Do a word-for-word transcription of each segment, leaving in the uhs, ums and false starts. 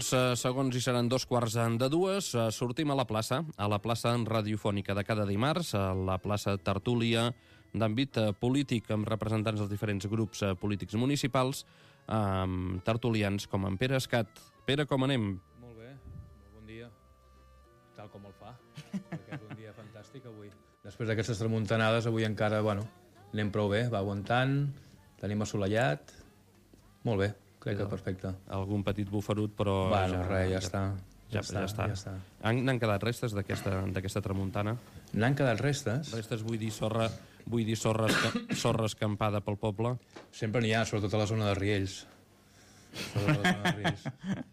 Dos uh, segons i seran dos quarts de dues. Uh, sortim a la plaça, a la plaça radiofònica de cada dimarts, a la plaça Tertúlia d'àmbit uh, polític, amb representants dels diferents grups uh, polítics municipals, amb uh, tertulians com en Pere Escat. Pere, com anem? Molt bé, molt bon dia. Tal com el fa, perquè és un dia fantàstic avui. Després d'aquestes tramuntanades, avui encara, bueno, anem prou bé, va aguantant, tenim assolellat, molt bé. Crec que perfecte. Algun petit bufarut, però... Bueno, ja, res, ja, ja està. Ja, ja, està, ja, està. ja està. Han, n'han quedat restes d'aquesta tramuntana? N'han quedat restes? Restes, vull dir, sorra, vull dir sorra, sorra escampada pel poble? Sempre n'hi ha, sobretot a la zona de Riells. Sobretot a la zona de Riells.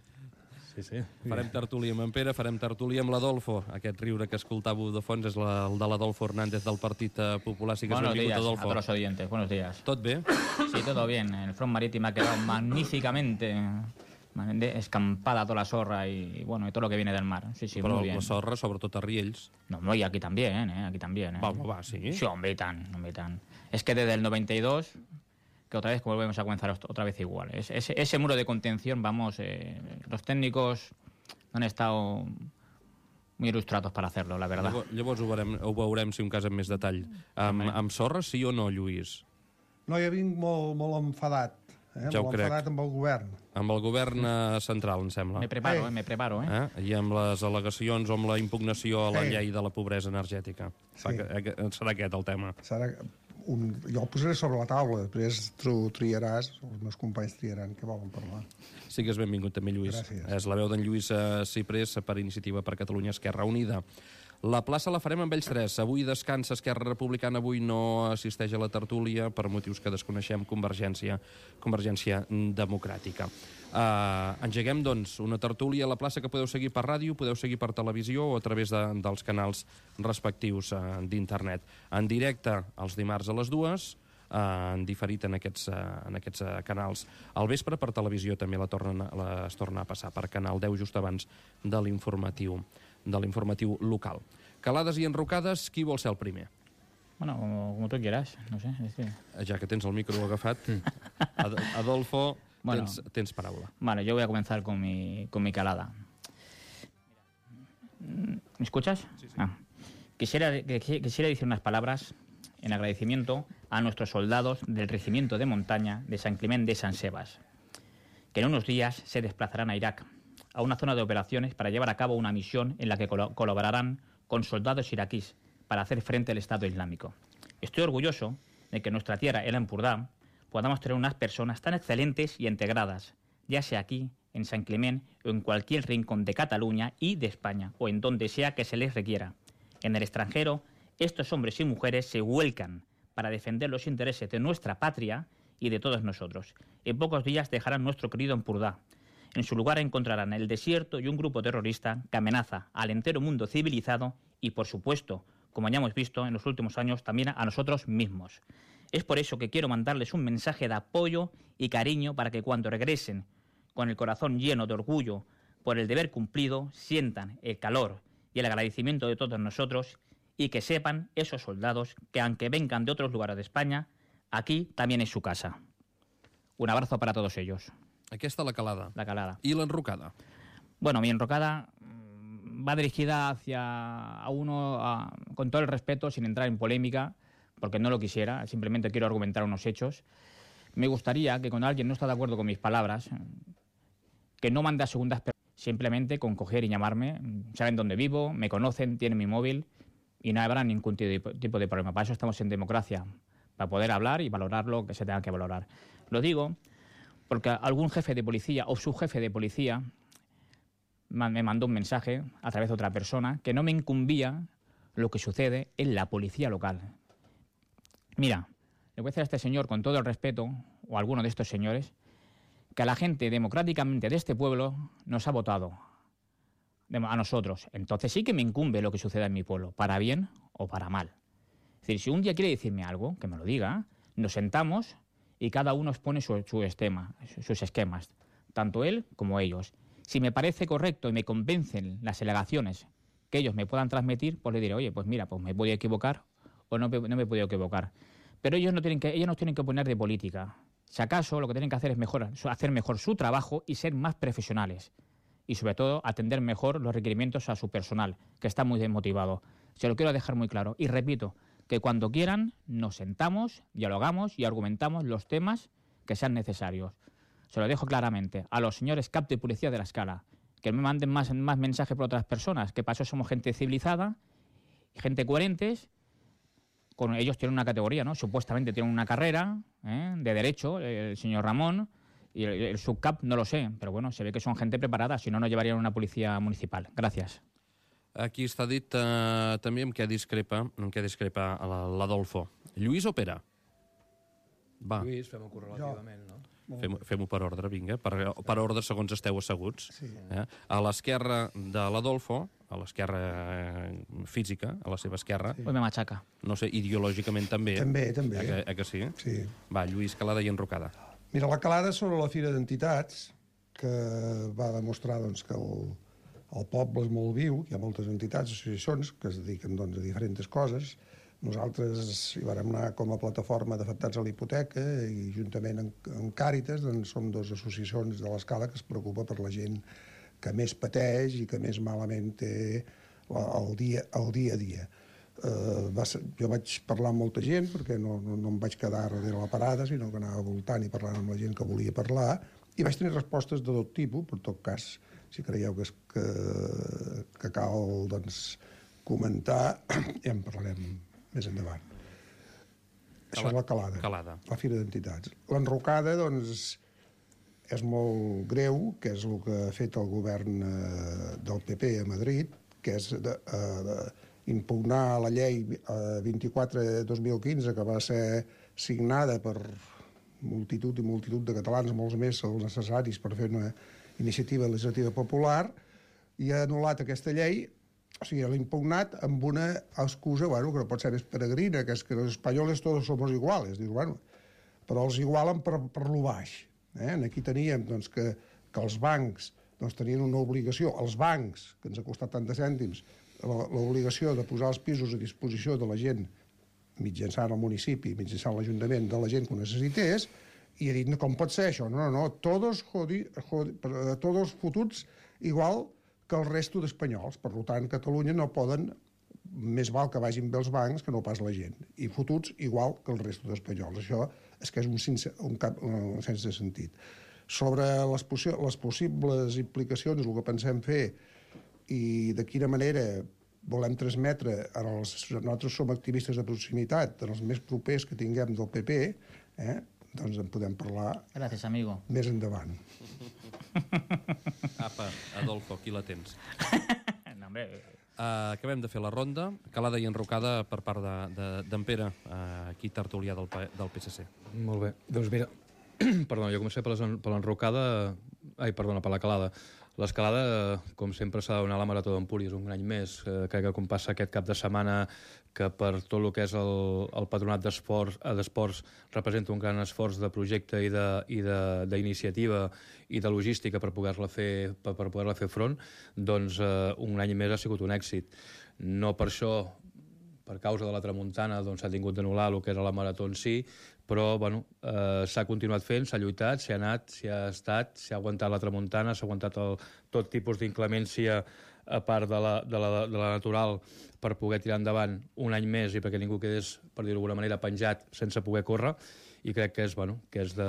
Sí, sí. Farem tertúlia amb en Pere, farem tertúlia amb l'Adolfo. Aquest riure que escoltàveu de fons és la, el de l'Adolfo Hernández del Partit Popular. Sí que buenos días Adolfo. a todos los oyentes, buenos días. ¿Tot bé? Sí, todo bien. El front marítimo ha quedado magníficamente escampada toda la sorra y, bueno, y todo lo que viene del mar. Sí, sí, Però muy bien. la sorra, sobretot a Riells. No, no, y aquí también, ¿eh? Aquí también, ¿eh? Va, va, sí. Sí, hombre, y tan, hombre, y tan. Es que desde el noventa y dos... que otra vez volvemos a comenzar otra vez igual. Es, ese, ese muro de contención, vamos, eh, los técnicos no han estado muy il·lustrados para hacerlo, la verdad. Llavors, llavors ho, veurem, ho veurem, si un cas amb més detall. Amb, amb sorra, sí o no, Lluís? No, jo vinc molt, molt enfadat. Eh? Ja ho molt crec. enfadat amb el govern. Amb el govern eh, central, em sembla. Me preparo, Ei. eh, me preparo, eh? eh? I amb les al·legacions o amb la impugnació a la Ei. llei de la pobresa energètica. Sí. Serà aquest el tema. Serà un... Jo el posaré sobre la taula, després tu triaràs, els meus companys triaran què volen parlar. Sigues benvingut també, Lluís. Gràcies. És la veu d'en Lluís eh, Ciprés per Iniciativa per Catalunya Esquerra Unida. La plaça la farem amb ells tres. Avui descansa Esquerra Republicana, avui no assisteix a la tertúlia per motius que desconeixem, Convergència, Convergència Democràtica. Uh, engeguem, doncs, una tertúlia a la plaça que podeu seguir per ràdio, podeu seguir per televisió o a través de, dels canals respectius uh, d'internet. En directe els dimarts a les dues, uh, en diferit en aquests, uh, en aquests uh, canals. Al vespre per televisió també la tornen, la, es torna a passar per Canal deu just abans de l'informatiu de l'informatiu local. Calades i enrocades, qui vol ser el primer? Bueno, como, como tú quieras, no sé. Es que... Ja que tens el micro agafat, Ad Adolfo, bueno, tens, tens paraula. Vale, yo voy a comenzar con mi, con mi calada. ¿Me escuchas? Sí, sí. Ah. Quisiera, quisiera decir unas palabras en agradecimiento a nuestros soldados del Regimiento de Montaña de San Clement de San Sebas, que en unos días se desplazarán a Irak, a una zona de operaciones para llevar a cabo una misión en la que col colaborarán con soldados iraquíes para hacer frente al Estado Islámico. Estoy orgulloso de que en nuestra tierra, el Empordà, podamos tener unas personas tan excelentes y integradas, ya sea aquí, en San Clement, o en cualquier rincón de Cataluña y de España, o en donde sea que se les requiera. En el extranjero, estos hombres y mujeres se vuelcan para defender los intereses de nuestra patria y de todos nosotros. En pocos días dejarán nuestro querido Empordà. En su lugar encontrarán el desierto y un grupo terrorista que amenaza al entero mundo civilizado y, por supuesto, como ya hemos visto en los últimos años, también a nosotros mismos. Es por eso que quiero mandarles un mensaje de apoyo y cariño para que cuando regresen, con el corazón lleno de orgullo por el deber cumplido, sientan el calor y el agradecimiento de todos nosotros y que sepan esos soldados que, aunque vengan de otros lugares de España, aquí también es su casa. Un abrazo para todos ellos. Aquesta la calada. La calada. I l'enrocada? Bueno, mi enrocada va dirigida hacia a uno, a, con todo el respeto, sin entrar en polémica, porque no lo quisiera, simplemente quiero argumentar unos hechos. Me gustaría que cuando alguien no está de acuerdo con mis palabras, que no mande a segundas personas, simplemente con coger y llamarme, saben dónde vivo, me conocen, tienen mi móvil y no habrá ningún tipo de problema. Para eso estamos en democracia, para poder hablar y valorar lo que se tenga que valorar. Lo digo porque algún jefe de policía o subjefe de policía me mandó un mensaje a través de otra persona que no me incumbía lo que sucede en la policía local. Mira, le voy a decir a este señor, con todo el respeto, o a alguno de estos señores, que a la gente democráticamente de este pueblo nos ha votado, a nosotros. Entonces sí que me incumbe lo que suceda en mi pueblo, para bien o para mal. Es decir, si un día quiere decirme algo, que me lo diga, nos sentamos y cada uno expone su, su esquema, sus esquemas, tanto él como ellos. Si me parece correcto y me convencen las alegaciones que ellos me puedan transmitir, pues le diré, oye, pues mira, pues me he podido equivocar o no, no me he podido equivocar. Pero ellos no tienen que, ellos no tienen que opinar de política. Si acaso lo que tienen que hacer es mejor, hacer mejor su trabajo y ser más profesionales. y sobre todo atender mejor los requerimientos a su personal, que está muy desmotivado. Se lo quiero dejar muy claro. Y repito, que cuando quieran nos sentamos, dialogamos y argumentamos los temas que sean necesarios. Se lo dejo claramente a los señores cap de policía de la Escala, que me manden más, más mensajes por otras personas, que para eso somos gente civilizada, gente coherentes. Con ellos tienen una categoría, ¿no? Supuestamente tienen una carrera, ¿eh?, de derecho, el señor Ramón, y el, el subcap no lo sé, pero bueno, se ve que son gente preparada, si no, no llevarían una policía municipal. Gracias. Aquí està dit eh, també amb què discrepa, amb què discrepa l'Adolfo. Lluís o Pere? Va. Lluís, fem-ho correlativament, no? Fem-ho fem per ordre, vinga, per, per ordre segons esteu asseguts. Sí. Eh? A l'esquerra de l'Adolfo, a l'esquerra física, a la seva esquerra, Sí. Hoy me machaca. no sé, ideològicament també. També, també. Eh que, eh que sí? Sí. Va, Lluís, Calada i Enrocada. Mira, la calada sobre la Fira d'Entitats, que va demostrar doncs, que el, el poble és molt viu, hi ha moltes entitats, associacions, que es dediquen doncs, a diferents coses. Nosaltres hi vàrem anar com a plataforma d'afectats a la hipoteca i juntament amb, amb Càritas doncs, som dues associacions de l'Escala que es preocupa per la gent que més pateix i que més malament té la, el, dia, el dia a dia. Uh, va ser, jo vaig parlar amb molta gent perquè no, no, no em vaig quedar darrere la parada, sinó que anava voltant i parlant amb la gent que volia parlar, i vaig tenir respostes de tot tipus. Per tot cas, si creieu que, és, que, que cal doncs, comentar, ja en parlarem més endavant. Això és la calada, calada. la Fira d'Entitats. L'enrocada, doncs, és molt greu, que és el que ha fet el govern eh, del P P a Madrid, que és de, eh, de impugnar la llei eh, vint-i-quatre dos mil quinze, que va ser signada per multitud i multitud de catalans, molts més els necessaris per fer una iniciativa legislativa popular, i ha anul·lat aquesta llei. O sigui, l'ha impugnat amb una excusa, bueno, que no pot ser més peregrina, que és que els espanyols tots somos iguales. Dius, bueno, però els igualen per, per lo baix. Eh? Aquí teníem doncs, que, que els bancs doncs, tenien una obligació, els bancs, que ens ha costat tant de cèntims, l'obligació de posar els pisos a disposició de la gent mitjançant el municipi, mitjançant l'Ajuntament, de la gent que ho necessités, i ha dit, no, com pot ser això? No, no, no, todos, jodi, jodi, todos fotuts igual que el resto d'espanyols. Per tant, Catalunya no poden, més val que vagin bé els bancs que no pas la gent. I fotuts igual que el resto d'espanyols. Això és que és un, sense, un, cap, un sense sentit. Sobre les, possi les possibles implicacions, el que pensem fer i de quina manera volem transmetre, els, nosaltres som activistes de proximitat, en els més propers que tinguem del P P, eh, doncs en podem parlar Gracias, amigo. més endavant. Apa, Adolfo, aquí la tens. No, hombre. Uh, acabem de fer la ronda. Calada i Enrocada per part d'en de, de, Pere, uh, aquí tertulià del, del P S C. Molt bé. Doncs mira, perdona, jo començaré per l'enrocada... Ai, perdona, per la calada. L'escalada, com sempre, s'ha de donar la Marató d'Empúries un any més. Eh, crec que com passa aquest cap de setmana, que per tot el que és el, el patronat d'esports representa un gran esforç de projecte i d'iniciativa i de logística per poder-la fer, per, per poder-la fer front, doncs eh, un any més ha sigut un èxit. No per això, per causa de la tramuntana, doncs s'ha tingut d'anul·lar el que era la marató en si, però bueno, eh, s'ha continuat fent, s'ha lluitat, s'hi ha anat, s'hi ha estat, s'ha aguantat la tramuntana, s'ha aguantat el, tot tipus d'inclemència a part de la, de, la, de la natural per poder tirar endavant un any més i perquè ningú quedés, per dir-ho d'alguna manera, penjat sense poder córrer, i crec que és, bueno, que és de,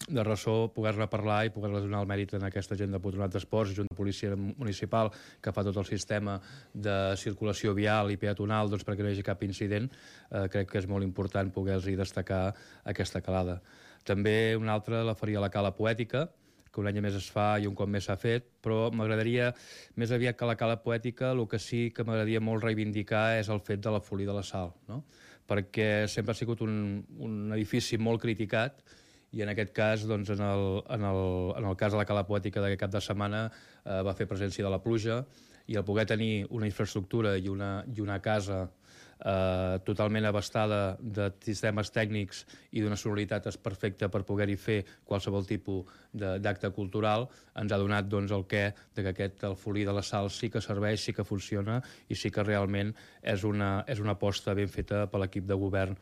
de ressò poder-ne parlar i poder-ne donar el mèrit en aquesta gent de patronat d'esports, junt de policia municipal, que fa tot el sistema de circulació vial i peatonal, doncs perquè no hi hagi cap incident. Eh, crec que és molt important poder-los destacar aquesta calada. També una altra la faria la cala poètica, que un any més es fa i un cop més s'ha fet, però m'agradaria, més aviat que la cala poètica, el que sí que m'agradaria molt reivindicar és el fet de la Folia de la Sal, no? Perquè sempre ha sigut un, un edifici molt criticat, i en aquest cas, doncs, en, el, en, el, en el cas de la cala poètica d'aquest cap de setmana eh, va fer presència de la pluja, i el poder tenir una infraestructura i una, i una casa eh, totalment abastada de sistemes tècnics i d'una sonoritat perfecta per poder-hi fer qualsevol tipus d'acte cultural, ens ha donat doncs, el què de que aquest el Folí de la Sal sí que serveix, sí que funciona i sí que realment és una, és una aposta ben feta per l'equip de govern,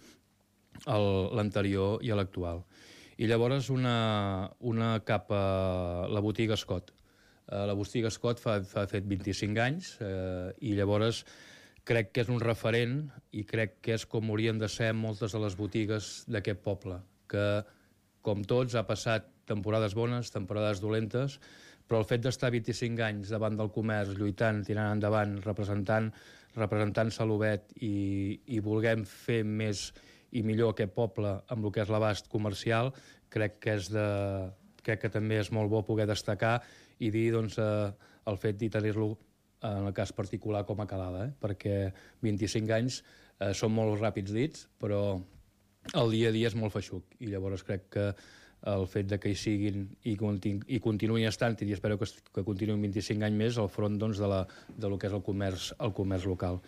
l'anterior i l'actual. I llavors una, una cap a la botiga Scott. la botiga Scott fa, fa fet vint-i-cinc anys eh, i llavors crec que és un referent i crec que és com haurien de ser moltes de les botigues d'aquest poble, que, com tots, ha passat temporades bones, temporades dolentes, però el fet d'estar vint-i-cinc anys davant del comerç, lluitant, tirant endavant, representant, representant Salobet i, i volguem fer més i millor aquest poble amb el que és l'abast comercial, crec que, és de, crec que també és molt bo poder destacar i dir doncs, eh, el fet de tenir-lo en el cas particular com a Calada, eh? Perquè vint-i-cinc anys eh, són molt ràpids dits, però el dia a dia és molt feixuc i llavors crec que el fet de que hi siguin i, continu, i continuïn estant, i espero que, que continuïn vint-i-cinc anys més al front doncs, de, la, de lo que és el comerç, el comerç local.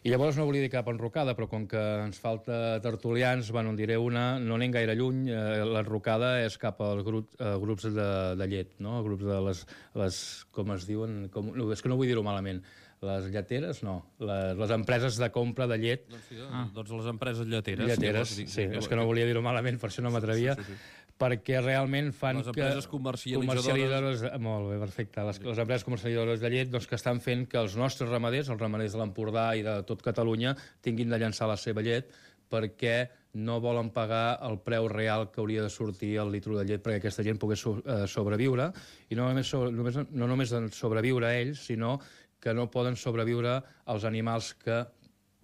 I llavors no volia dir cap enrocada, però com que ens falta tertulians, bueno, en diré una, no anem gaire lluny, eh, l'enrocada és cap als grup, eh, grups de, de llet, no? Grups de les, les com es diuen, com, no, és que no vull dir-ho malament, les lleteres, no, les, les empreses de compra de llet. Doncs, sí, ah. doncs les empreses lleteres. Lleteres, llavors, sí, és que no volia dir-ho malament, per això no m'atrevia. Sí, sí, sí. Perquè realment fan les empreses que... comercialitzadores... comercialitzadores... Molt bé, perfecte. Les, les empreses comercialitzadores de llet doncs, que estan fent que els nostres ramaders, els ramaders de l'Empordà i de tot Catalunya, tinguin de llançar la seva llet perquè no volen pagar el preu real que hauria de sortir el litro de llet perquè aquesta gent pogués so, eh, sobreviure. I no només, sobre, només, no només sobreviure a ells, sinó que no poden sobreviure als animals que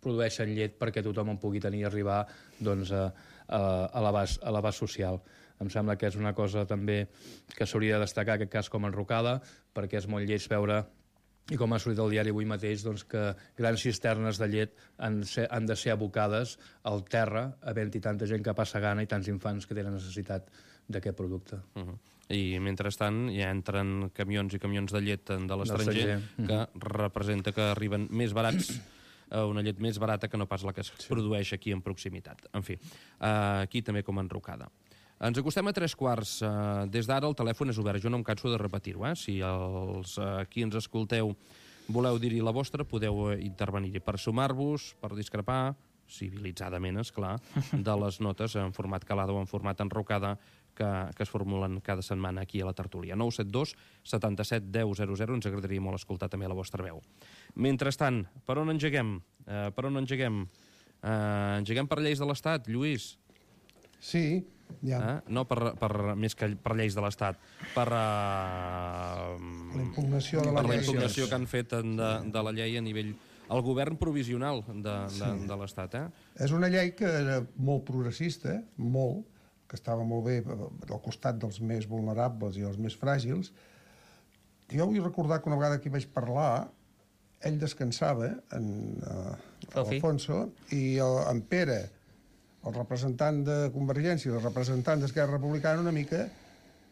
produeixen llet perquè tothom en pugui tenir i arribar doncs, a, a, a l'abast social. Em sembla que és una cosa també que s'hauria de destacar, aquest cas com a enrocada, perquè és molt lleig veure, i com ha sortit al diari avui mateix, doncs, que grans cisternes de llet han, ser, han de ser abocades al terra, havent-hi tanta gent que passa gana i tants infants que tenen necessitat d'aquest producte. Uh -huh. I mentrestant ja entren camions i camions de llet de l'estranger que uh -huh. representa que arriben més barats, una llet més barata que no pas la que es sí. produeix aquí en proximitat. En fi, aquí també com a enrocada. Ens acostem a tres quarts. Des d'ara el telèfon és obert. Jo no em canso de repetir-ho. Eh? Si els qui ens escolteu voleu dir-hi la vostra, podeu intervenir-hi per sumar-vos, per discrepar, civilitzadament, esclar, de les notes en format calada o en format enrocada que, que es formulen cada setmana aquí a la tertúlia. nou set dos setanta-set deu zero zero. Ens agradaria molt escoltar també la vostra veu. Mentrestant, per on engeguem? Uh, per on engeguem? Uh, engeguem per lleis de l'Estat, Lluís? Sí, ja. Eh? No per, per, més que per lleis de l'Estat, per, uh, la impugnació de la per llei. la impugnació que han fet de, de la llei a nivell... El govern provisional de, de, sí. de l'Estat. Eh? És una llei que era molt progressista, molt, que estava molt bé al costat dels més vulnerables i els més fràgils. Jo vull recordar que una vegada que hi vaig parlar, ell descansava, en uh, Alfonso, i el, en Pere, el representant de Convergència i el representant d'Esquerra Republicana, una mica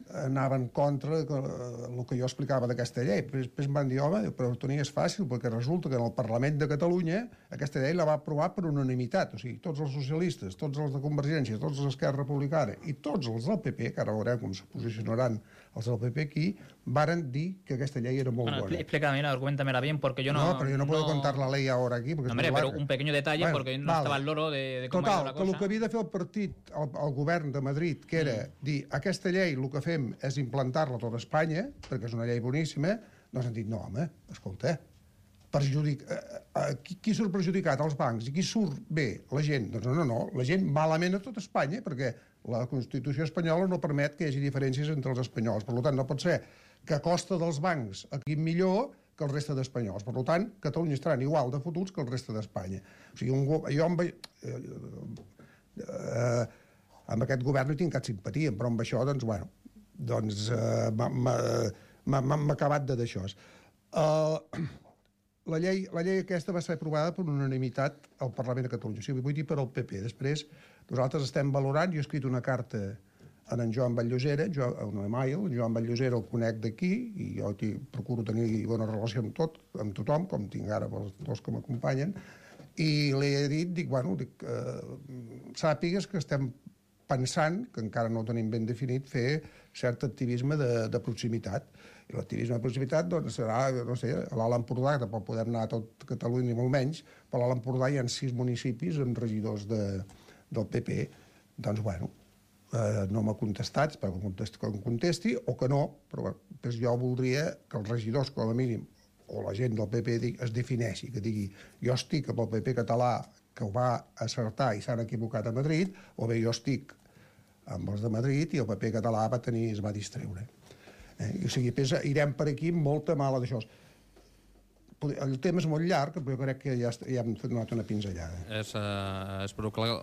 anava en contra del que jo explicava d'aquesta llei. Després em van dir, home, però Toni, és fàcil, perquè resulta que en el Parlament de Catalunya aquesta llei la va aprovar per unanimitat. O sigui, tots els socialistes, tots els de Convergència, tots els d'Esquerra Republicana i tots els del P P, que ara veurem com se posicionaran els del P P aquí, varen dir que aquesta llei era molt bueno, buena. Explícame, arguéntamela bien, porque yo no... No, pero yo no puedo no... contar la ley ahora aquí. Porque no, hombre, pero un pequeño detalle, bueno, porque no vale. Estaba el loro de, de cómo Total, era la cosa. que el que havia de fer el partit, el, el govern de Madrid, que era mm. dir, aquesta llei el que fem és implantar-la a tota Espanya, perquè és una llei boníssima, doncs han dit, no, home, escolta, perjudic... Eh, qui, qui surt perjudicat? Els bancs. I qui surt bé? La gent. Doncs no, no, no, la gent malament a tot Espanya, perquè la Constitució espanyola no permet que hi hagi diferències entre els espanyols. Per tant, no pot ser que a costa dels bancs aquí millor que el reste d'espanyols. Per tant, Catalunya estaran igual de fotuts que el reste d'Espanya. O sigui, un, jo amb, eh, eh, amb aquest govern no hi tinc cap simpatia, però amb això, doncs, bueno, doncs eh, m'ha acabat de d'això. Uh, la, llei, la llei aquesta va ser aprovada per unanimitat al Parlament de Catalunya. O sigui, vull dir per al P P. Després, nosaltres estem valorant, jo he escrit una carta en en Joan Batllosera, un email, en Joan Batllosera el conec d'aquí, i jo procuro tenir bona relació amb tot, amb tothom, com tinc ara els dos que m'acompanyen, i li he dit, dic, bueno, dic, eh, sàpigues que estem pensant, que encara no ho tenim ben definit, fer cert activisme de, de proximitat. I l'activisme de proximitat doncs, serà, no sé, a l'Alt Empordà, que pot poder anar a tot Catalunya ni molt menys, però a l'Alt Empordà hi ha sis municipis amb regidors de, del P P. Doncs, bueno, eh, no m'ha contestat, espero que contesti, que em contesti, o que no, però pues jo voldria que els regidors, com a mínim, o la gent del P P es defineixi, que digui jo estic amb el P P català que ho va acertar i s'han equivocat a Madrid, o bé jo estic amb els de Madrid i el P P català va tenir, es va distreure. Eh? I, o sigui, pues, irem per aquí amb molta mala d'això. El tema és molt llarg, però jo crec que ja, ja hem donat una pinzellada. És, uh, és però clar,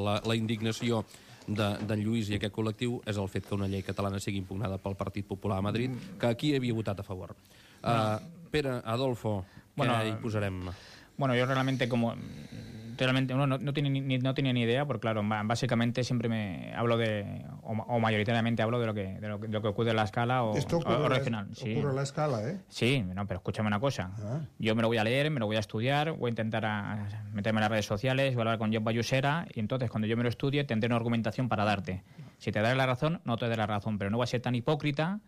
la, la indignació d'en de Lluís i aquest col·lectiu és el fet que una llei catalana sigui impugnada pel Partit Popular a Madrid, que aquí havia votat a favor. Uh, Pere, Adolfo, bueno, què hi posarem? Bueno, yo realmente como... Realmente uno no, no, tiene ni, no tenía ni idea, porque claro, básicamente siempre me hablo de, o, o mayoritariamente hablo de lo que de lo que, de lo que ocurre en la escala o, Esto ocurre, o regional. Sí. Ocurre en la escala, ¿eh? Sí, no, pero escúchame una cosa. Ah. Yo me lo voy a leer, me lo voy a estudiar, voy a intentar a meterme en las redes sociales, voy a hablar con Job Bayusera y entonces cuando yo me lo estudie tendré una argumentación para darte. Si te daré la razón, no te daré la razón, pero no voy a ser tan hipócrita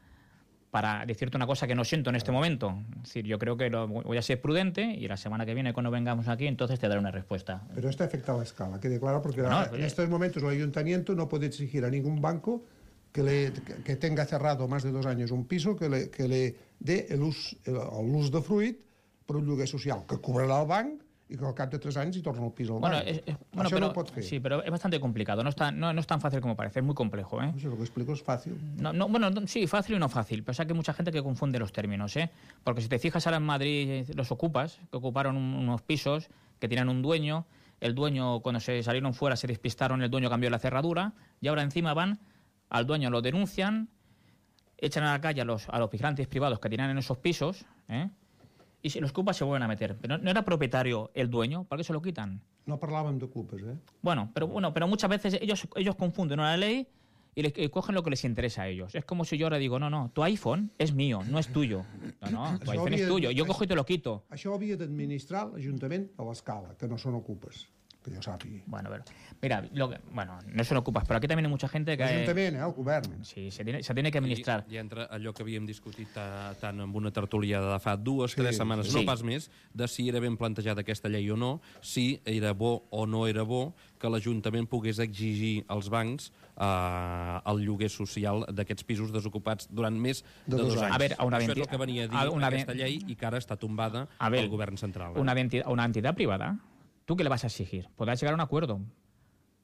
para decirte una cosa que no siento en este momento. Es decir, yo creo que lo, voy a ser prudente y la semana que viene, cuando vengamos aquí, entonces te daré una respuesta. Pero esto afecta a la escala, quede claro, porque no, en estos momentos el ayuntamiento no puede exigir a ningún banco que, le, que tenga cerrado más de dos años un piso que le, que le dé l'ús de fruit per un lloguer social, que cobrarà el banc y que al cap de tres años y torna el piso al bueno, banc. Es, es, bueno, Això pero, no ho pot fer. Sí, pero es bastante complicado. No es, tan, no, no es tan fácil como parece, es muy complejo, ¿eh? Eso lo que explico es fácil. No, no, bueno, sí, fácil y no fácil. Pero es que hay mucha gente que confunde los términos, ¿eh? Porque si te fijas ahora en Madrid, los ocupas, que ocuparon un, unos pisos, que tenían un dueño, el dueño, cuando se salieron fuera, se despistaron, el dueño cambió la cerradura, y ahora encima van, al dueño lo denuncian, echan a la calle a los, a los vigilantes privados que tenían en esos pisos, ¿eh? Y si los ocupas se vuelven a meter. Pero no era propietario el dueño, ¿por qué se lo quitan? No parlàvem d'ocupes, eh? Bueno, pero bueno, pero muchas veces ellos, ellos confunden una ley y, les, y cogen lo que les interesa a ellos. Es como si yo ahora digo, no, no, tu iPhone es mío, no es tuyo. No, no, tu Això iPhone havia- es tuyo. Yo això- cojo y te lo quito. Això ho havia d'administrar l'Ajuntament a l'escala, que no són ocupes, que jo sàpiga. Bueno, pero, mira, lo que, bueno, no se lo ocupas, pero aquí también hay mucha gente que... L'Ajuntament, eh? El govern. Sí, se tiene, se tiene que administrar. I, I entre allò que havíem discutit ta, tant amb una tertúlia de fa dues, Sí, tres setmanes, sí. no pas més, de si era ben plantejada aquesta llei o no, si era bo o no era bo que l'Ajuntament pogués exigir als bancs eh, el lloguer social d'aquests pisos desocupats durant més de, De dos dos anys. anys. A ver, a una Això és venti- el que venia a dir a una aquesta ve- llei i que ara està tombada A ver, pel govern central. Eh? Una, entidad, una entidad privada, ¿tú qué le vas a exigir? Podrás llegar a un acuerdo.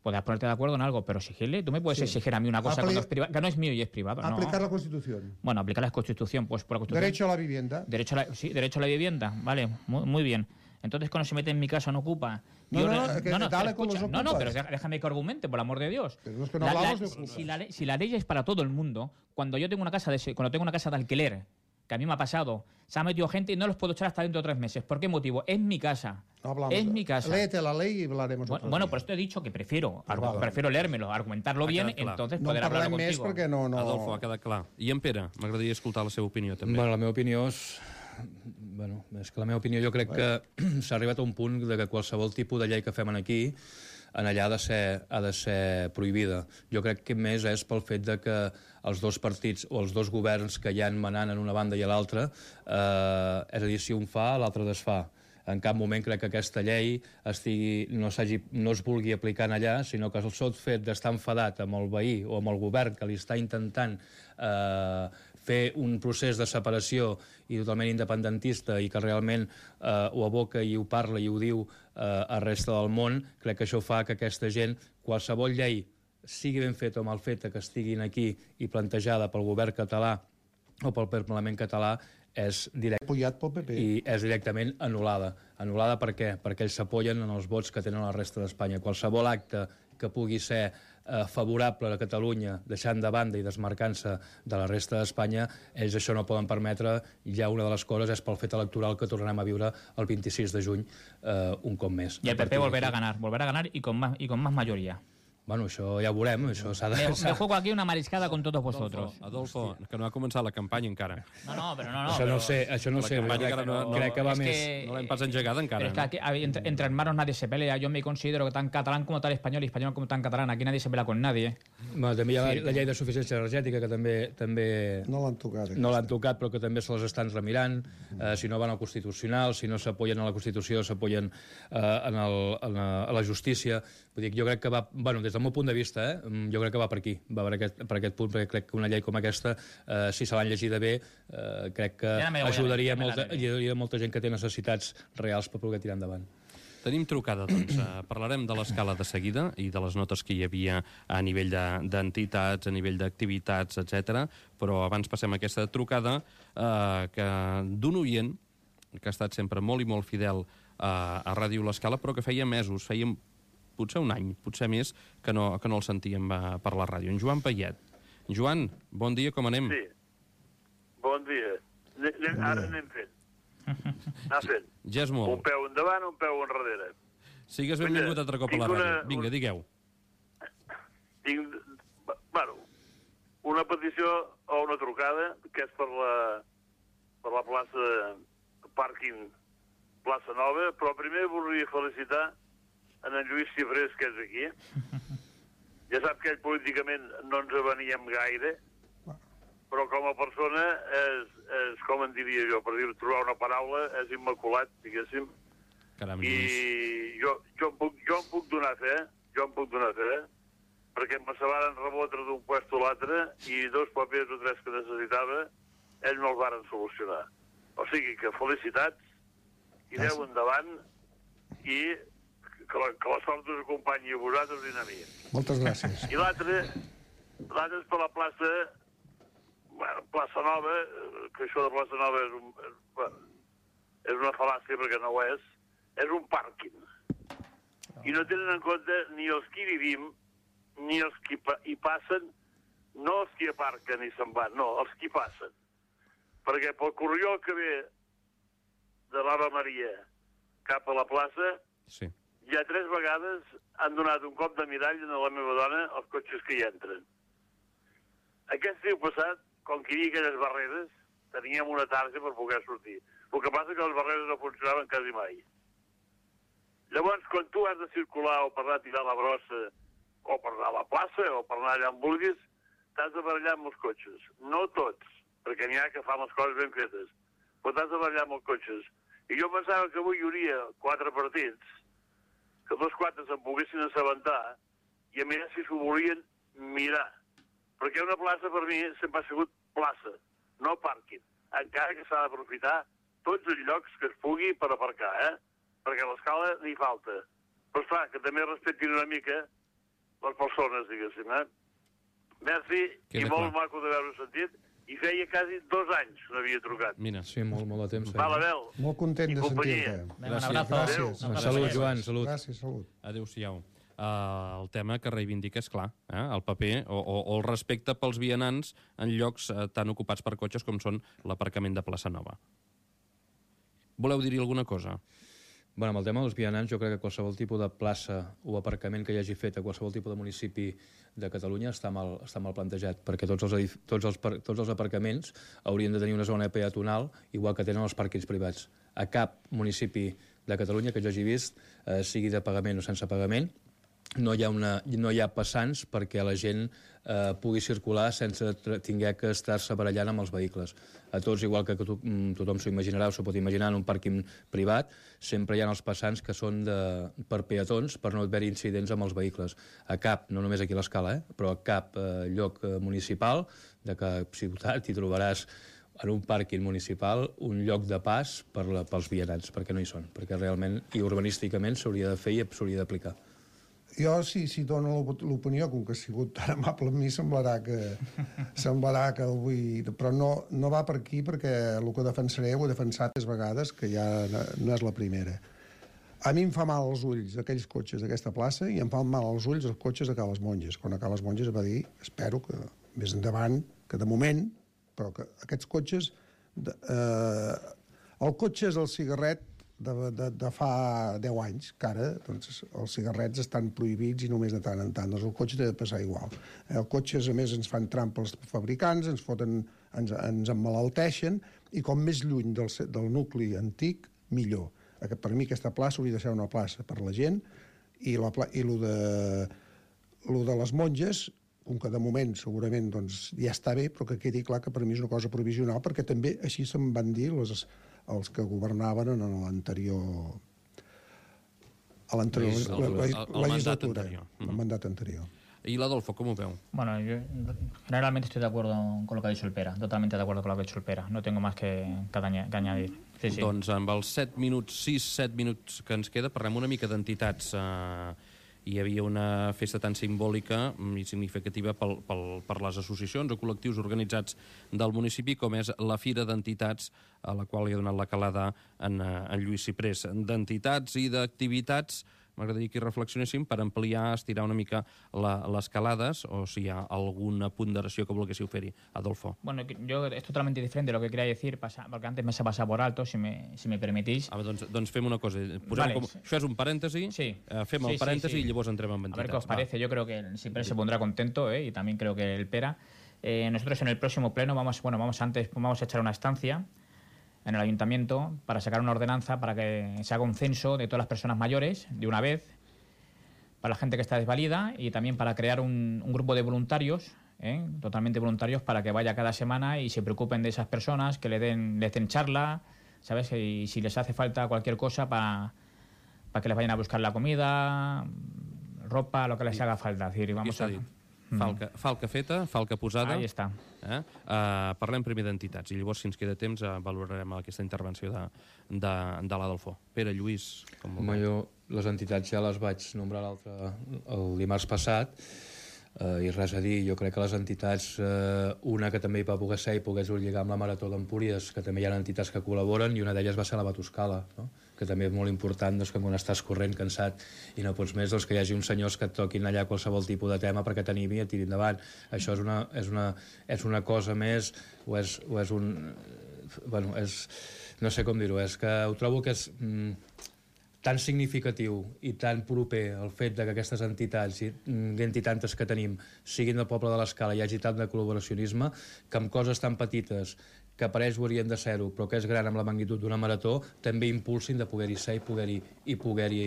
Podrás ponerte de acuerdo en algo, pero exigirle, tú me puedes Sí. exigir a mí una cosa Apli- cuando es privado, que no es mío y es privado. No. Aplicar la Constitución. Bueno, aplicar la Constitución, pues por la Constitución. Derecho a la vivienda. Derecho a la, sí, derecho a la vivienda, vale, muy, muy bien. Entonces, cuando se mete en mi casa, no ocupa. No, Yo no, re- que no, no, dale pero con los escucha, no, no, ocupas. pero deja- déjame que argumente, por el amor de Dios. Pero no es que no La- la- hablamos de si, ocupas. si la, ley- si la ley es para todo el mundo, cuando yo tengo una casa de, se- cuando tengo una casa de alquiler, que a mí me ha pasado, se ha metido gente y no los puedo echar hasta dentro de tres meses. ¿Por qué motivo? Es mi casa. No hablamos. Es mi casa. Léete la ley y hablaremos Bueno, otro bueno, día. por esto he dicho que prefiero, Pues argu- vale. prefiero leérmelo, argumentarlo Ha bien, quedat clar. entonces No poder en hablar parlem més contigo. perquè no... no... Adolfo, ha quedat clar. I en Pere, m'agradaria escoltar la seva opinió, també. Bueno, la meva opinió és... Bueno, és que la meva opinió jo crec que s'ha arribat a un punt de que qualsevol tipus de llei que fem aquí en allà ha de ser, ha de ser prohibida. Jo crec que més és pel fet de que els dos partits o els dos governs que hi han manant en una banda i a l'altra, eh, és a dir, si un fa, l'altre desfà. En cap moment crec que aquesta llei estigui, no, no es vulgui aplicar en allà, sinó que el sol fet d'estar enfadat amb el veí o amb el govern que li està intentant eh, fer un procés de separació i totalment independentista i que realment eh, ho aboca i ho parla i ho diu eh, a resta del món, crec que això fa que aquesta gent, qualsevol llei, sigui ben feta o mal feta, que estiguin aquí i plantejada pel govern català o pel Parlament català, és directe Apoyat pel P P. i és directament anul·lada. Anul·lada per què? Perquè ells s'apoyen en els vots que tenen la resta d'Espanya. Qualsevol acte que pugui ser eh, favorable a Catalunya, deixant de banda i desmarcant-se de la resta d'Espanya, ells això no poden permetre. Ja una de les coses és pel fet electoral que tornarem a viure el vint-i-sis de juny eh, un cop més. Y el A P P partir volverá a d'aquí- ganar, volverá a ganar y con más, y con más mayoría. Bueno, això ja ho veurem, això s'ha de... Me, me juego aquí una mariscada con todos vosotros. Adolfo, Adolfo, que no ha començat la campanya encara. No, no, pero no, no. Això no pero- sé, això no La sé, campanya crec, encara no- no- crec que va es més... que- No l'hem pas engegada encara. Pero es que aquí, a ver, entre, entre hermanos nadie se pelea. Yo me considero que tan catalán como tal español y español como tan catalán. Aquí nadie se pelea con nadie. Bueno, també hi ha la, la llei de suficiència energètica, que també... també No l'han tocat. No l'han tocat, però que també se les estan remirant. Eh, si no van al Constitucional, si no s'apoyen a la Constitució, s'apoyen eh, en el, en la, a la justícia. Vull dir, jo crec que va... Bueno, des del meu punt de vista, eh, jo crec que va per aquí, va per aquest, per aquest punt, perquè crec que una llei com aquesta, eh, si se l'han llegida bé, eh, crec que ja ajudaria, ja molta, ajudaria molta gent que té necessitats reals per poder tirar endavant. Tenim trucada, doncs. Uh, parlarem de l'escala de seguida i de les notes que hi havia a nivell d'entitats, de, a nivell d'activitats, etcètera. Però abans passem a aquesta trucada uh, que d'un oient que ha estat sempre molt i molt fidel uh, a Ràdio L'Escala, però que feia mesos, feia potser un any, potser més, que no, que no el sentíem uh, per la ràdio. En Joan Payet. Joan, bon dia, com anem? Sí, bon dia. Anem, ara anem fent. Anar fent. Ja és molt. Un peu endavant, un peu enrere. Sigues benvingut altre cop a la ràdio. Una, Vinga, un... digueu. Tinc, bueno, una petició o una trucada, que és per la, per la plaça pàrquing Plaça Nova, però primer volia felicitar en en Lluís Cifrés, que és aquí. Ja sap que ell políticament no ens aveníem gaire, però com a persona és, és com en diria jo, per dir trobar una paraula, és immaculat, diguéssim. Caram, I jo, jo, em puc, jo em puc donar fe, jo em puc donar fe, perquè me se varen rebotre d'un puesto a l'altre i dos papers o tres que necessitava, ells no els varen solucionar. O sigui que felicitats, i aneu endavant, i que la, que la sort us acompanyi a vosaltres i a mi. Moltes gràcies. I l'altre, l'altre és per la plaça... Bueno, Plaça Nova, que això de Plaça Nova és, un, és, bueno, és una fal·làcia perquè no ho és, és un pàrquing. I no tenen en compte ni els que hi vivim, ni els que hi passen, no els que hi aparquen i se'n van, no, els que hi passen. Perquè pel corriol que ve de l'Ave Maria cap a la plaça, sí. Ja tres vegades han donat un cop de mirall a la meva dona als cotxes que hi entren. Aquest estiu passat, com que hi havia aquelles barreres, teníem una tarja per poder sortir. El que passa és que les barreres no funcionaven quasi mai. Llavors, quan tu has de circular o per anar a tirar la brossa, o per anar a la plaça, o per anar allà on vulguis, t'has de barallar amb els cotxes. No tots, perquè n'hi ha que fan les coses ben fetes, però t'has de barallar amb els cotxes. I jo pensava que avui hi hauria quatre partits, que dos quatre se'n poguessin assabentar, i a més si s'ho volien mirar. Perquè una plaça per mi sempre ha sigut plaça, no pàrquing. Encara que s'ha d'aprofitar tots els llocs que es pugui per aparcar, eh? Perquè a l'escala n'hi falta. Però esclar, que també respectin una mica les persones, diguéssim, eh? Merci, i molt maco d'haver-ho sentit, i feia quasi dos anys que no havia trucat. Mira, sí, molt, molt de temps. Val, Abel. Molt content de sentir-te. Gràcies. Gràcies. Salut, Joan, salut. Gràcies, salut. Adéu-siau. Uh, el tema que reivindica és clar, eh? El paper o, o, o el respecte pels vianants en llocs uh, tan ocupats per cotxes com són l'aparcament de Plaça Nova. Voleu dir-hi alguna cosa? Bueno, amb el tema dels vianants, jo crec que qualsevol tipus de plaça o aparcament que hi hagi fet a qualsevol tipus de municipi de Catalunya està mal, està mal plantejat, perquè tots els, tots, els, tots els aparcaments haurien de tenir una zona peatonal, igual que tenen els pàrquings privats. A cap municipi de Catalunya que jo hagi vist, eh, sigui de pagament o sense pagament, no hi ha, una, no hi ha passants perquè la gent eh, pugui circular sense tinguer que estar-se barallant amb els vehicles. A tots, igual que to, tothom s'ho imaginarà o s'ho pot imaginar en un pàrquing privat, sempre hi ha els passants que són de, per peatons per no haver-hi incidents amb els vehicles. A cap, no només aquí a l'Escala, eh, però a cap eh, lloc eh, municipal de cap ciutat hi trobaràs en un pàrquing municipal un lloc de pas per la, pels vianants, perquè no hi són, perquè realment i urbanísticament s'hauria de fer i s'hauria d'aplicar. Jo, si, si dono l'opinió, com que ha sigut tan amable amb mi, semblarà que, semblarà que el vull... Però no, no va per aquí, perquè el que defensaré ho he defensat tres vegades, que ja no és la primera. A mi em fa mal als ulls aquells cotxes d'aquesta plaça i em fan mal als ulls els cotxes de Cales Monges. Quan a Cales Monges va dir, espero que més endavant, que de moment, però que aquests cotxes... De, eh, el cotxe és el cigarret de, de, de fa deu anys, que ara doncs, els cigarrets estan prohibits i només de tant en tant. Doncs el cotxe té de passar igual. El cotxe, a més, ens fan trampa els fabricants, ens foten, ens, ens emmalalteixen, i com més lluny del, del nucli antic, millor. Per mi aquesta plaça hauria de ser una plaça per la gent, i, la, i lo, de, lo de les monges, com que de moment segurament doncs, ja està bé, però que quedi clar que per mi és una cosa provisional, perquè també així se'n van dir les, els que governaven en l'anterior a l'anterior El- el- el- el mandat legislatura, anterior. el mandat anterior. I l'Adolfo, com ho veu? Bueno, yo generalmente estoy de acuerdo con lo que ha dicho el Pera, totalmente de acuerdo con lo que ha dicho el Pera. No tengo más que, que, aña- que añadir. Sí, sí. Doncs amb els set minuts, sis, set minuts que ens queda, parlem una mica d'entitats. Uh, hi havia una festa tan simbòlica i significativa pel, pel, per les associacions o col·lectius organitzats del municipi, com és la Fira d'Entitats, a la qual li ha donat la calada en, en Lluís Ciprés. D'entitats i d'activitats, m'agradaria que hi reflexionéssim per ampliar, estirar una mica la, les calades, o si hi ha alguna ponderació que volguéssiu fer-hi. Adolfo. Bueno, yo es totalmente diferente de lo que quería decir, pasa, porque antes me se ha pasado por alto, si me, si me permitís. Ah, doncs, doncs fem una cosa. Posem Vale. com, això és un parèntesi, Sí. eh, fem Sí, el sí, parèntesi sí. i llavors entrem en A entitats. ver qué os Va. parece. Yo creo que siempre se pondrá contento, ¿eh? Y también creo que el Pera. Eh, nosotros en el próximo pleno vamos, bueno, vamos antes, vamos a echar una estancia en el ayuntamiento para sacar una ordenanza para que se haga un censo de todas las personas mayores de una vez, para la gente que está desvalida y también para crear un, un grupo de voluntarios, ¿eh? Totalmente voluntarios, para que vaya cada semana y se preocupen de esas personas, que le den, les den charla, ¿sabes? Y si les hace falta cualquier cosa para, para que les vayan a buscar la comida, ropa, lo que les haga falta. Es decir, Aquí vamos s'ha a... dit. Falca, falca feta, falca posada. Ahí està. Eh? Uh, parlem primer d'entitats i llavors, si ens queda temps, uh, valorarem aquesta intervenció de, de, de l'Adolfo. Pere, Lluís, com ho Home, veu? jo les entitats ja les vaig nombrar l'altre el dimarts passat, eh, i res a dir. Jo crec que les entitats, eh, una que també hi va poder ser i pogués lligar amb la Marató d'Empúries, que també hi ha entitats que col·laboren, i una d'elles va ser la Batoscala, no? Que també és molt important, doncs, que quan estàs corrent, cansat i no pots més, doncs, que hi hagi uns senyors que et toquin allà qualsevol tipus de tema perquè t'animi i et tiri endavant. Això és una, és una, és una cosa més, o és, o és un... Bueno, és... No sé com dir-ho, és que ho trobo que és... Mm, tan significatiu i tan proper el fet de que aquestes entitats i tantes que tenim siguin del poble de l'Escala i hi hagi tant de col·laboracionisme, que amb coses tan petites que apareix ho haurien de ser-ho, però que és gran amb la magnitud d'una marató, també impulsin de poder-hi ser i poder-hi i poder-hi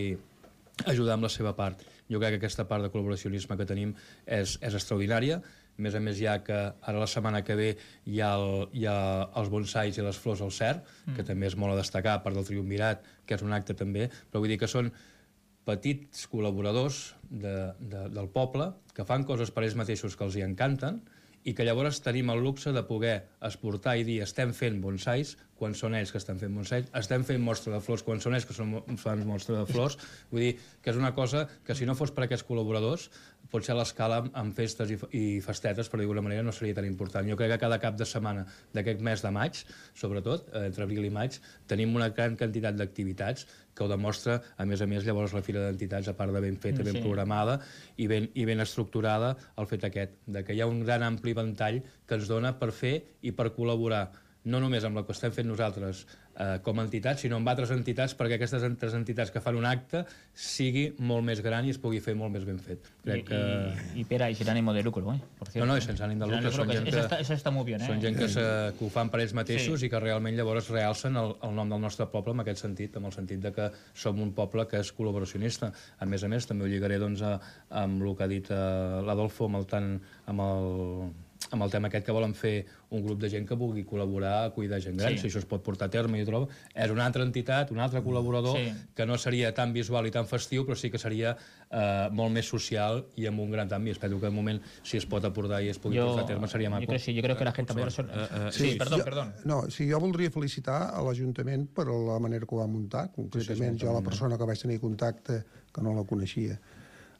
ajudar amb la seva part. Jo crec que aquesta part de col·laboracionisme que tenim és, és extraordinària. A més a més, ja que ara la setmana que ve hi ha, el, hi ha els bonsais i les flors al cert, mm. que també és molt a destacar, a part del triumvirat, que és un acte també, però vull dir que són petits col·laboradors de, de, del poble que fan coses per ells mateixos que els hi encanten i que llavors tenim el luxe de poder exportar i dir estem fent bonsais quan són ells que estan fent bonsais, estem fent mostra de flors quan són ells que són, fan mostra de flors. Vull dir que és una cosa que si no fos per aquests col·laboradors potser a l'Escala amb festes i, i festetes, per dir-ho d'alguna manera, no seria tan important. Jo crec que cada cap de setmana d'aquest mes de maig, sobretot, entre abril i maig, tenim una gran quantitat d'activitats que ho demostra, a més a més, llavors la Fira d'Entitats, a part de ben feta, ben Sí. programada i ben, i ben estructurada, el fet aquest, de que hi ha un gran ampli ventall que ens dona per fer i per col·laborar, no només amb el que estem fent nosaltres eh, com a entitats, sinó amb altres entitats, perquè aquestes altres entitats que fan un acte sigui molt més gran i es pugui fer molt més ben fet. Crec y, que... y, y Pera, y sin ánimo de lucro, ¿eh? Por cierto. No, no, i sense ànim de lucre. Sin ánimo Són de gent lucro, que, eso, está, eso está muy bien, ¿eh? són gent que, se, que ho fan per ells mateixos Sí. i que realment llavors realcen el, el nom del nostre poble en aquest sentit, en el sentit de que som un poble que és col·laboracionista. A més a més, també ho lligaré doncs, a, amb el que ha dit eh, l'Adolfo, amb el, tant, amb el amb el tema aquest que volen fer un grup de gent que vulgui col·laborar a cuidar gent gran, Sí. si això es pot portar a terme, jo trobo, és una altra entitat, un altre col·laborador, Sí. que no seria tan visual i tan festiu, però sí que seria eh, molt més social i amb un gran canvi. Espero que de moment, si es pot aportar i es pugui Yo, portar a terme, seria yo maco. creo, sí, yo creo que la gente mayor... son- Eh, eh, sí, sí, perdón, jo, perdón. No, sí, jo voldria felicitar a l'Ajuntament per la manera que ho va muntar. Concretament, jo, la persona que vaig tenir contacte, que no la coneixia,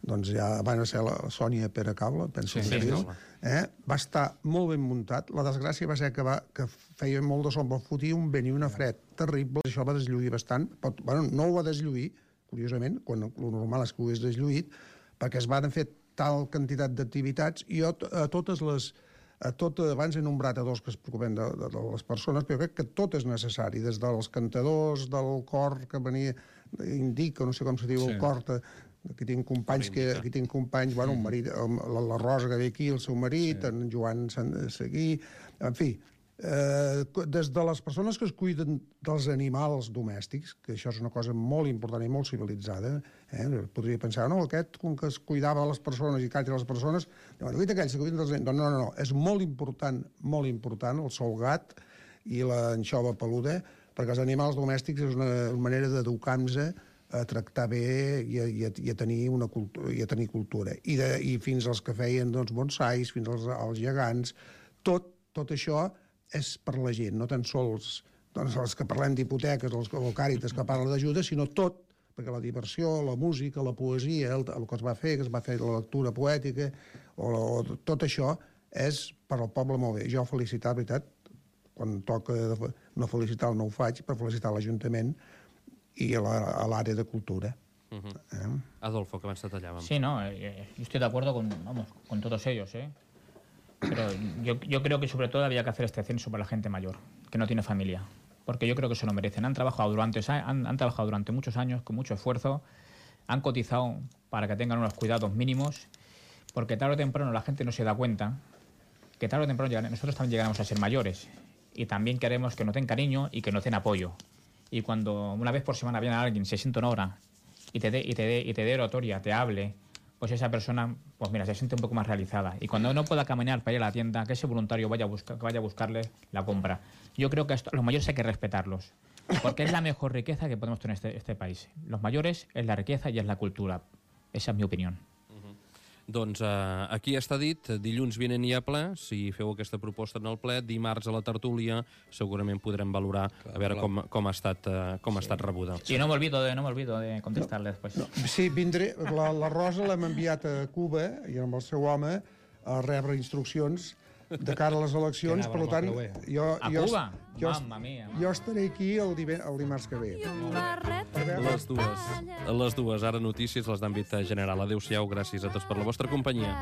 doncs ja van a ser la Sònia Pere Cable, penso Sí, que sí, es diu, Cable. eh? Va estar molt ben muntat. La desgràcia va ser que, va, que feia molt de sombra, fotia un vent i una fred terrible, això va deslluir bastant, però, bueno, no ho va deslluir, curiosament, quan el normal és que ho hagués deslluït, perquè es van fer tal quantitat d'activitats, i jo a totes les a tot, abans he nombrat a dos que es preocupen de, de, de les persones, però jo crec que tot és necessari, des dels cantadors, del cor que venia, indica, no sé com se diu, Sí. el cor, de, aquí tinc companys, que, aquí tinc companys, bueno, un marit, la, la Rosa que ve aquí, el seu marit, sí. En Joan Sant Seguí, en fi, Eh, des de les persones que es cuiden dels animals domèstics, que això és una cosa molt important i molt civilitzada, eh? Podria pensar, no, aquest, com que es cuidava les persones i càrrec les persones, no, aquells que cuiden dels animals... No, no, no, és molt important, molt important, el solgat i l'anxova peluda, perquè els animals domèstics és una, una manera d'educar-nos a tractar bé i a, i a, i a, tenir, una cultura, i a tenir cultura. I, de, i fins als que feien doncs, bonsais, fins als, als gegants, tot, tot això és per la gent, no tan sols doncs, els que parlem d'hipoteques, els o Càritas que parlen d'ajuda, sinó tot, perquè la diversió, la música, la poesia, el, el que es va fer, que es va fer la lectura poètica, o, o tot això és per al poble molt bé. Jo felicitar, veritat, quan toca no felicitar no ho faig, per felicitar l'Ajuntament i a l'àrea de cultura. Uh-huh. eh? Adolfo, que abans te tallàvem. Sí, no, eh, yo estoy de acuerdo con, vamos, con todos ellos, ¿eh? Pero yo, yo creo que sobre todo había que hacer este censo para la gente mayor, que no tiene familia, porque yo creo que se lo merecen. Han trabajado durante, han, han trabajado durante muchos años, con mucho esfuerzo, han cotizado para que tengan unos cuidados mínimos, porque tarde o temprano la gente no se da cuenta que tarde o temprano llegan, nosotros también llegaremos a ser mayores y también queremos que nos den cariño y que nos den apoyo. Y cuando una vez por semana viene alguien, se siente una hora y te dé y te dé y te dé oratoria, te hable, pues esa persona, pues mira, se siente un poco más realizada. Y cuando no pueda caminar para ir a la tienda, que ese voluntario vaya a, buscar, que vaya a buscarle la compra. Yo creo que esto, los mayores hay que respetarlos, porque es la mejor riqueza que podemos tener en este, este país. Los mayores es la riqueza y es la cultura. Esa es mi opinión. Doncs eh, aquí està dit, dilluns vinent hi ha ple, si feu aquesta proposta en el ple, dimarts a la tertúlia segurament podrem valorar a veure com, com, ha, estat, eh, com ha estat rebuda. Y no me olvido de, no me olvido de contestarle después. No, sí, vindré, la, la Rosa l'hem enviat a Cuba i amb el seu home a rebre instruccions de cara a les eleccions, per tant, jo, A jo, Cuba? jo, Mamma mia. jo estaré aquí el, diven, el dimarts que ve. Les dues, les dues, ara notícies, les d'àmbit general. Adéu-siau, gràcies a tots per la vostra companyia.